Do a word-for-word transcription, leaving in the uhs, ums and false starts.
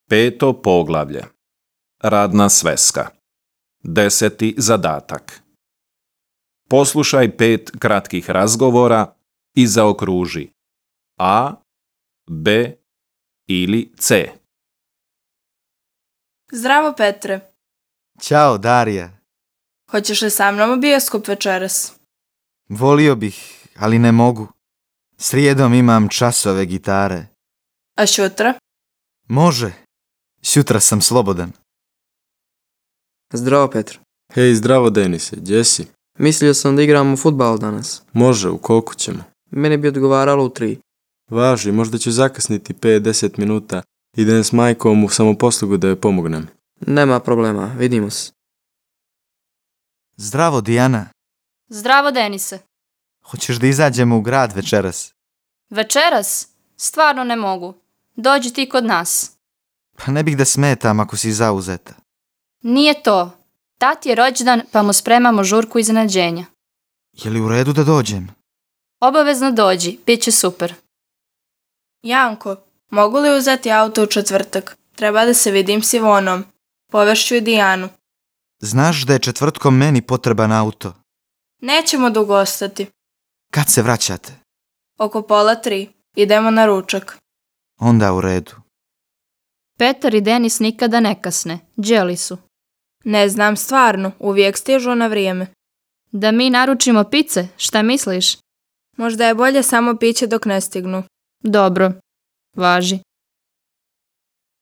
Peto poglavlje. Radna sveska. Deseti zadatak. Poslušaj pet kratkih razgovora i zaokruži A, B ili C. Zdravo, Petre. Ćao, Darija. Hoćeš li sa mnom u bioskop večeras? Volio bih, ali ne mogu. Srijedom imam časove gitare. A šutra? Može. Sutra sam slobodan. Zdravo, Petro. Hej, zdravo, Denise, gdje si? Mislio sam da igramo fudbal danas. Može, u koliko ćemo? Meni bi odgovaralo u tri. Važi, možda ću zakasniti pet do deset minuta. Idem s majkom u samoposlugu da joj pomognem. Nema problema, vidimo se. Zdravo, Dijana. Zdravo, Denise. Hoćeš da izađemo u grad večeras? Večeras? Stvarno ne mogu. Dođi ti kod nas. Pa ne bih da smetam ako si zauzeta. Nije to. Tati je rođendan pa mu spremamo žurku iznenađenja. Je li u redu da dođem? Obavezno dođi, bit će super. Janko, mogu li uzeti auto u četvrtak? Treba da se vidim s Ivonom. Povešću i Dijanu. Znaš da je četvrtkom meni potreban auto. Nećemo dugo ostati. Kad se vraćate? Oko pola tri. Idemo na ručak. Onda u redu. Petar i Denis nikada ne kasne. Đeli su. Ne znam stvarno, uvijek stižu na vrijeme. Da mi naručimo pice, šta misliš? Možda je bolje samo piće dok ne stignu. Dobro. Važi.